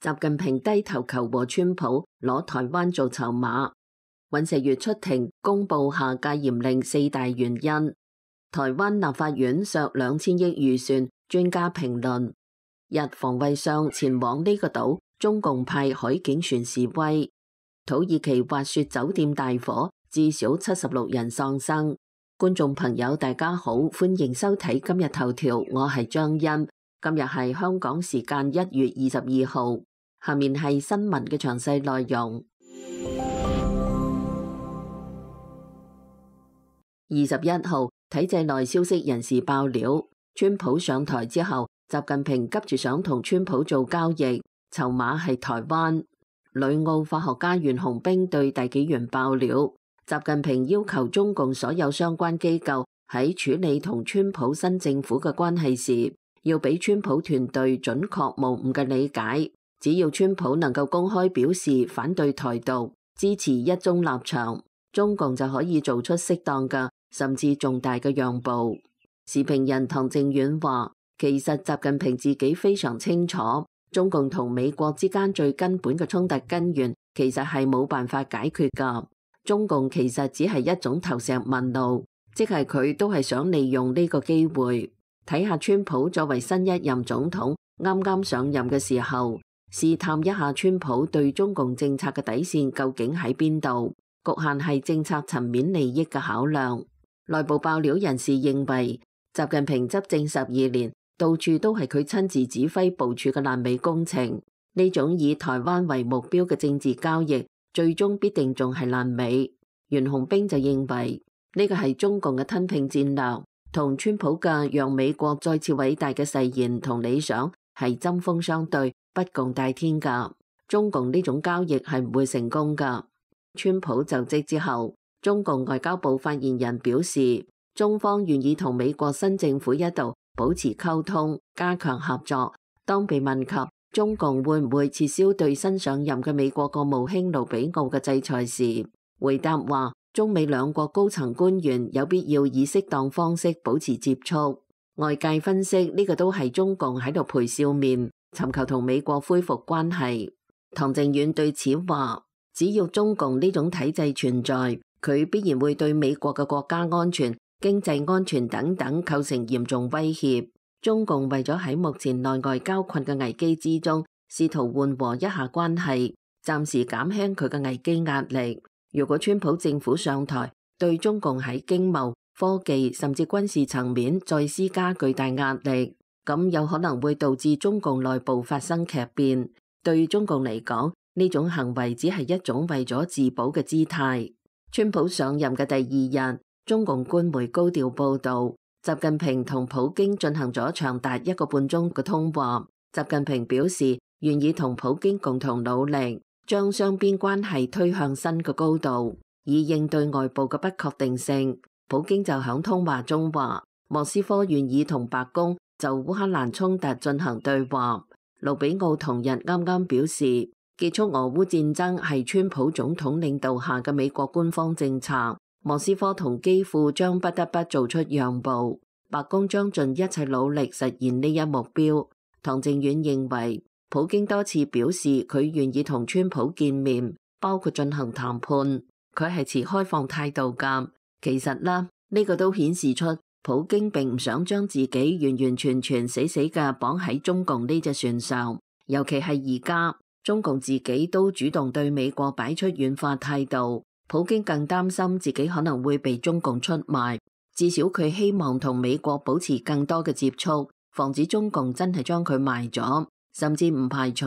習近平低頭求和川普攞台灣做籌碼。尹錫悅出庭公布下戒嚴令4大原因。台灣立法院削2000億預算，專家評論。日防衛相前往呢個島，中共派海警船示威。土耳其滑雪酒店大火，至少76人喪生。觀眾朋友大家好，歡迎收睇今日頭條，我係張欣。今日係香港時間1月22號，下面係新聞嘅詳細內容。21號，體制內消息人士爆料，川普上台之後，習近平急住想同川普做交易，籌碼係台灣。旅澳法學家袁洪兵對大紀元爆料，習近平要求中共所有相關機構喺處理同川普新政府嘅關係時，要俾川普團隊準確無誤嘅理解。只要川普能夠公開表示反對台獨，支持一中立場，中共就可以做出適當嘅甚至重大嘅讓步。時評人唐正遠話，其實習近平自己非常清楚，中共同美國之間最根本嘅衝突根源其實係冇辦法解決㗎。中共其實只係一種投石問路，即係佢都係想利用呢個機會，睇下川普作為新一任總統啱啱上任嘅時候，試探一下川普對中共政策嘅底線究竟喺邊度，局限係政策層面利益嘅考量。內部爆料人士認為，習近平執政12年，到處都係佢親自指揮部署嘅爛尾工程。呢種以台灣為目標嘅政治交易，最終必定仲係爛尾。袁洪兵就認為呢個係中共嘅吞併戰略，同川普嘅讓美國再次偉大嘅誓言同理想係針鋒相對，不共戴天㗎。中共呢種交易係唔會成功㗎。川普就職之後，中共外交部發言人表示，中方願意同美國新政府一道保持溝通，加強合作。當被問及中共會唔會撤銷對新上任嘅美國國務卿盧比奧嘅制裁時，回答話中美兩國高層官員有必要以適當方式保持接觸。外界分析呢個都係中共喺度陪笑面，尋求同美國恢復關係。唐正遠對此話，只要中共呢種體制存在，佢必然會對美國嘅國家安全、經濟安全等等構成嚴重威脅。中共為咗喺目前內外交困嘅危機之中，試圖緩和一下關係，暫時減輕佢嘅危機壓力。如果川普政府上台，對中共喺經貿、科技甚至軍事層面再施加巨大壓力，咁有可能會導致中共內部發生劇變。對中共嚟講，呢種行為只係一種為咗自保嘅姿態。川普上任嘅第2日，中共官媒高調報導，習近平同普京進行咗長達1個半鐘嘅通話。習近平表示願意同普京共同努力，將雙邊關係推向新嘅高度，以應對外部嘅不確定性。普京就響通話中話，莫斯科願意同白宮就烏克蘭衝突進行對話。盧比奧同日啱啱表示，結束俄烏戰爭係川普總統領導下嘅美國官方政策，莫斯科同基輔將不得不做出讓步，白宮將盡一切努力實現呢一目標。唐正遠認為，普京多次表示佢願意同川普見面，包括進行談判，佢係持開放態度㗎。其實啦，呢個都顯示出普京並唔想將自己完完全全死死嘅綁喺中共呢隻船上，尤其係而家中共自己都主動對美國擺出軟化態度，普京更擔心自己可能會被中共出賣，至少佢希望同美國保持更多嘅接觸，防止中共真係將佢賣咗。甚至唔排除，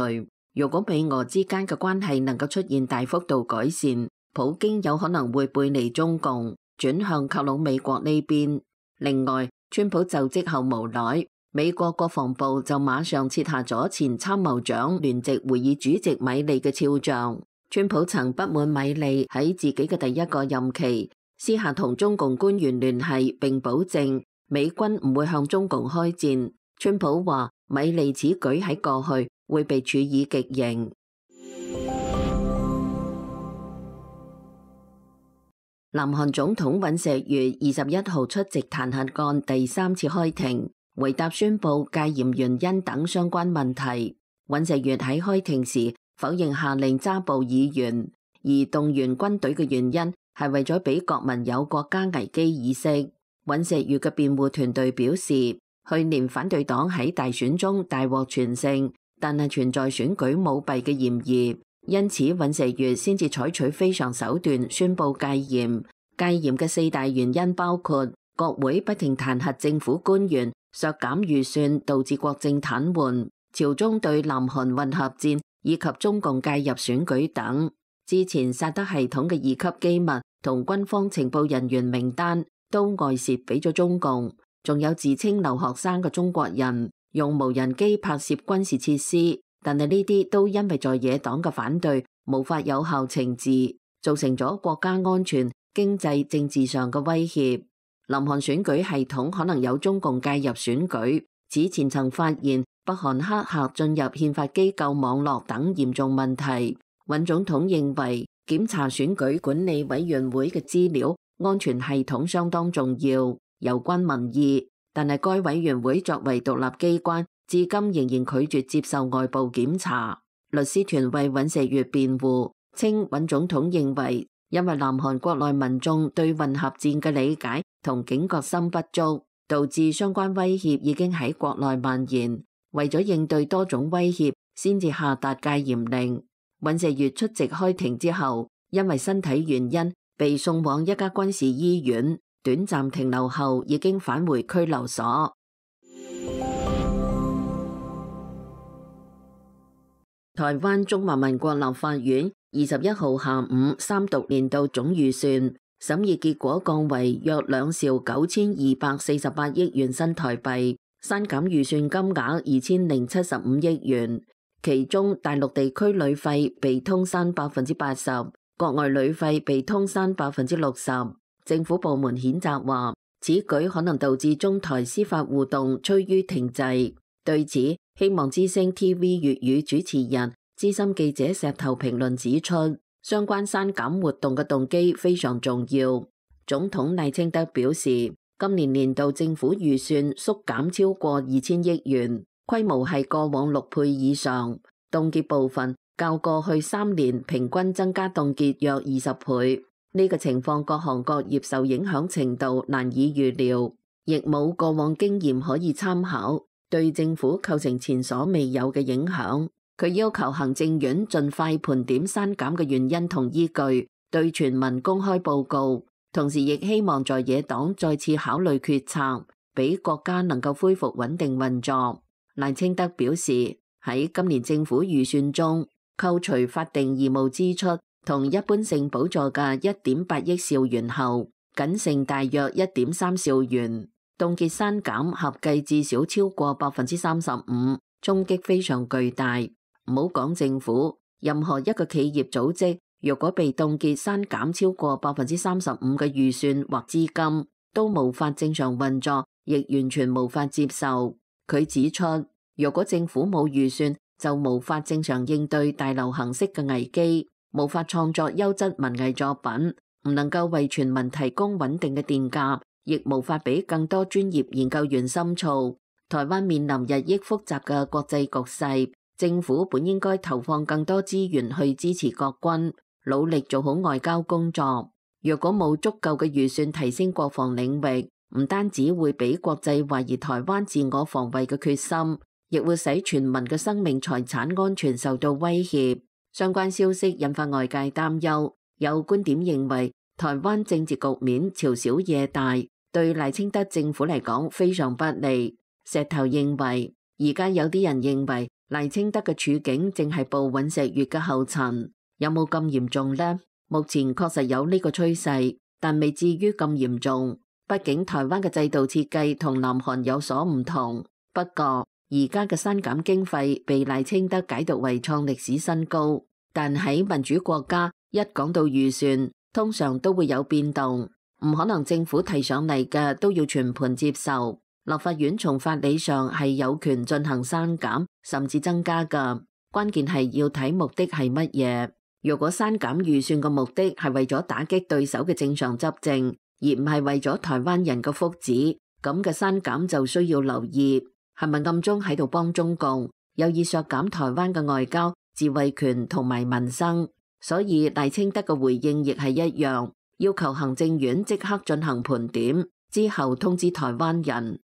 如果美俄之間嘅關係能夠出現大幅度改善，普京有可能會背離中共，轉向靠攏美國呢邊。另外，川普就職後無耐，美國國防部就馬上撤下咗前參謀長聯席會議主席米利嘅肖像。川普曾不滿米利喺自己嘅第1個任期私下同中共官員聯繫，並保證美軍唔會向中共開戰。川普話米利此舉喺過去會被處以極刑。南韓總統尹錫悅21號出席彈劾案第3次開庭，回答宣布戒嚴原因等相關問題。尹錫悅喺開庭時否認下令抓捕議員，而動員軍隊嘅原因係為咗俾國民有國家危機意識。尹錫悅嘅辯護團隊表示，去年反對黨喺大選中大獲全勝，但係存在選舉舞弊嘅嫌疑，因此尹錫悅先至採取非常手段宣布戒嚴。戒嚴嘅4大原因包括國會不停彈劾政府官員、削減預算導致國政癱瘓、朝中對南韓混合戰以及中共介入選舉等。之前薩德系統嘅2級機密同軍方情報人員名單都外泄俾咗中共，仲有自稱留學生嘅中國人用無人機拍攝軍事設施，但係呢啲都因為在野黨嘅反對無法有效懲治，造成咗國家安全、經濟、政治上嘅威脅。南韓選舉系統可能有中共介入選舉，此前曾發現北韓黑客進入憲法機構網絡等嚴重問題。尹總統認為檢查選舉管理委員會嘅資料安全系統相當重要，有關民意，但係該委員會作為獨立機關，至今仍然拒絕接受外部檢查。律師團為尹錫悅辯護，稱尹總統認為因為南韓國內民眾對混合戰嘅理解同警覺心不足，導致相關威脅已經喺國內蔓延。為咗應對多種威脅，先至下達戒嚴令。尹錫悅出席開庭之後，因為身體原因被送往一家軍事醫院，短暫停留後已經返回拘留所。台灣中華民國立法院21號下午三讀年度總預算審議結果降為約2兆9248億元新台幣，刪減預算金額2075億元。其中大陸地區旅費被通刪80%，國外旅費被通刪60%。政府部門譴責話，此舉可能導致中台司法互動趨於停滯。對此，希望之聲 TV 粵語主持人資深記者石頭評論指出，相關刪減活動嘅動機非常重要。總統賴清德表示，今年年度政府預算縮減超過2000億元，規模係過往6倍以上，凍結部分較過去3年平均增加凍結約20倍。呢個情況各行各業受影響程度難以預料，亦冇過往經驗可以參考，對政府構成前所未有嘅影響。佢要求行政院盡快盤點刪減嘅原因同依據，對全民公開報告，同時亦希望在野黨再次考慮決策，俾國家能夠恢復穩定運作。賴清德表示，喺今年政府預算中，扣除法定義務支出同一般性補助嘅1.8億兆元後，僅剩大約1.3兆元，凍結刪減合計至少超過35%，衝擊非常巨大。唔好講政府，任何一個企業組織，若果被凍結刪減超過35%嘅預算或資金，都無法正常運作，亦完全無法接受。佢指出，若果政府冇預算，就無法正常應對大流行式嘅危機，無法創作優質文藝作品，唔能夠為全民提供穩定嘅電價，亦無法俾更多專業研究員深造。台灣面臨日益複雜嘅國際局勢，政府本應該投放更多資源去支持國軍，努力做好外交工作。若果冇足夠嘅預算提升國防領域，唔單止會俾國際懷疑台灣自我防衛嘅決心，亦會使全民嘅生命財產安全受到威脅。相關消息引發外界擔憂，有觀點認為台灣政治局面朝小野大，對賴清德政府嚟講非常不利。石頭認為，而家有啲人認為賴清德嘅處境正係步尹錫悅嘅後塵，有冇咁嚴重呢？目前確實有呢個趨勢，但未至於咁嚴重。畢竟台灣嘅制度設計同南韓有所唔同。不過而家嘅刪減經費被賴清德解讀為創歷史新高，但喺民主國家一講到預算，通常都會有變動，唔可能政府提上嚟嘅都要全盤接受。立法院從法理上係有權進行刪減甚至增加㗎，關鍵係要睇目的係乜嘢。如果刪減預算嘅目的係為咗打擊對手嘅正常執政，而唔係為咗台灣人嘅福祉，咁嘅刪減就需要留意係咪暗中喺度幫中共，有意削減台灣嘅外交、自衛權同埋民生，所以賴清德嘅回應亦係一樣，要求行政院即刻進行盤點，之後通知台灣人。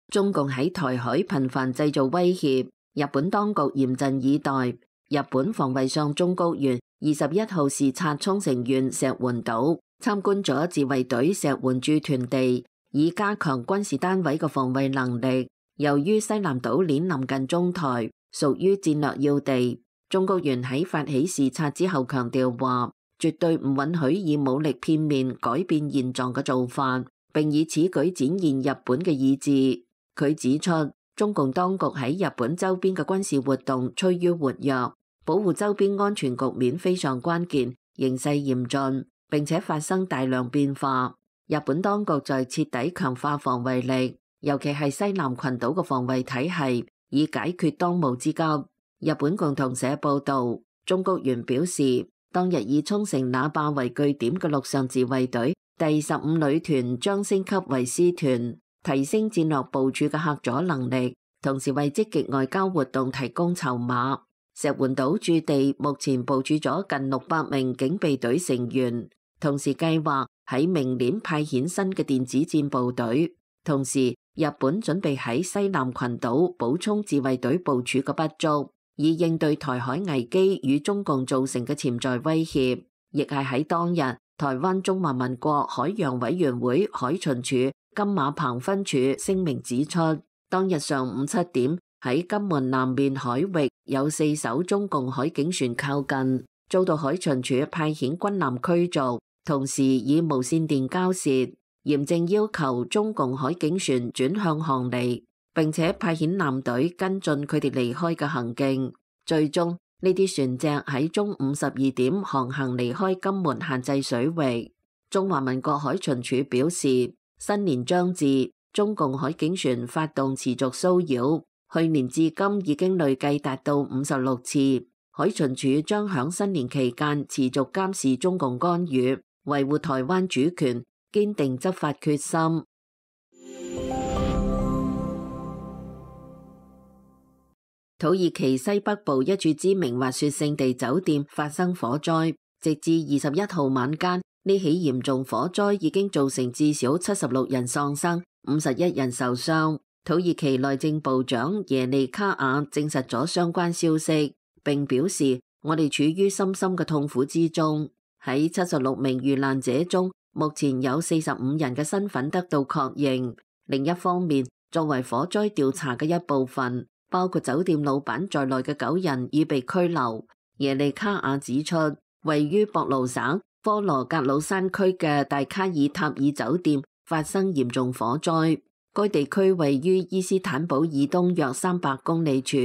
中共喺台海頻繁製造威脅，日本當局嚴陣以待。日本防衛相中谷元21號視察沖繩縣石垣島，參觀咗自衛隊石垣駐屯地，以加強軍事單位嘅防衛能力。由於西南島鏈臨近中台，屬於戰略要地，中谷元喺發起視察之後強調話，絕對唔允許以武力片面改變現狀嘅做法，並以此舉展現日本嘅意志。佢指出，中共當局喺日本周邊嘅軍事活動趨於活躍，保護周邊安全局面非常關鍵，形勢嚴峻，並且發生大量變化。日本當局在徹底強化防衛力，尤其係西南群島嘅防衛體系，以解決當務之急。日本共同社報導，中谷元表示，當日以沖繩那霸為據點嘅陸上自衛隊第15旅團將升級為師團，提升戰略部署嘅嚇阻能力，同時為積極外交活動提供籌碼。石垣島駐地目前部署咗近600名警備隊成員，同時計劃喺明年派遣新嘅電子戰部隊。同時，日本準備喺西南群島補充自衛隊部署嘅不足，以應對台海危機與中共造成嘅潛在威脅。亦係喺當日，台灣中華民國海洋委員會海巡署金馬棚分署聲明指出，當日上午7點喺金門南面海域有4艘中共海警船靠近，遭到海巡署派遣軍艦驅逐，同時以無線電交涉，嚴正要求中共海警船轉向航離，並且派遣艦隊跟進佢哋離開嘅行徑。最終呢啲船隻喺中午12點航行離開金門限制水域。中華民國海巡署表示，新年將至，中共海警船發動持續騷擾，去年至今已經累計達到56次。海巡署將響新年期間持續監視中共干預，維護台灣主權，堅定執法決心。土耳其西北部一處知名滑雪勝地酒店發生火災，直至21號晚間，呢起嚴重火災已經造成至少76人喪生，51人受傷。土耳其內政部長耶利卡亞證實咗相關消息，並表示，我哋處於深深嘅痛苦之中。喺76名遇難者中，目前有45人嘅身份得到確認。另一方面，作為火災調查嘅一部分，包括酒店老闆在內嘅9人已被拘留。耶利卡亞指出，位於博盧省科羅格魯山區嘅大卡爾塔爾酒店發生嚴重火災。該地區位於伊斯坦堡以東約300公里處。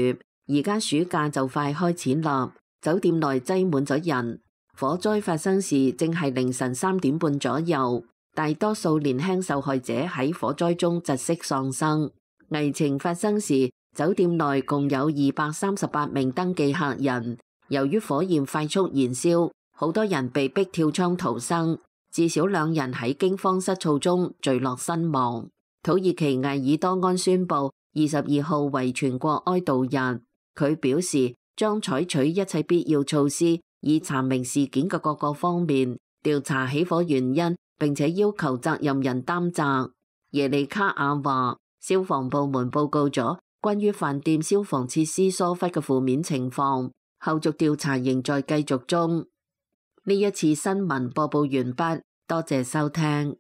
而家暑假就快開始啦，酒店內擠滿咗人。火災發生時正係凌晨3點半左右，大多數年輕受害者喺火災中窒息喪生。危情發生時，酒店內共有238名登記客人。由於火焰快速燃燒，好多人被逼跳窗逃生，至少2人喺驚慌失措中墜落身亡。土耳其埃爾多安宣布22號為全國哀悼日，佢表示將採取一切必要措施，以查明事件嘅各個方面，調查起火原因，並且要求責任人擔責。耶利卡亞話，消防部門報告咗關於飯店消防設施疏忽嘅負面情況，後續調查仍在繼續中。呢一次新聞播報完畢，多謝收聽。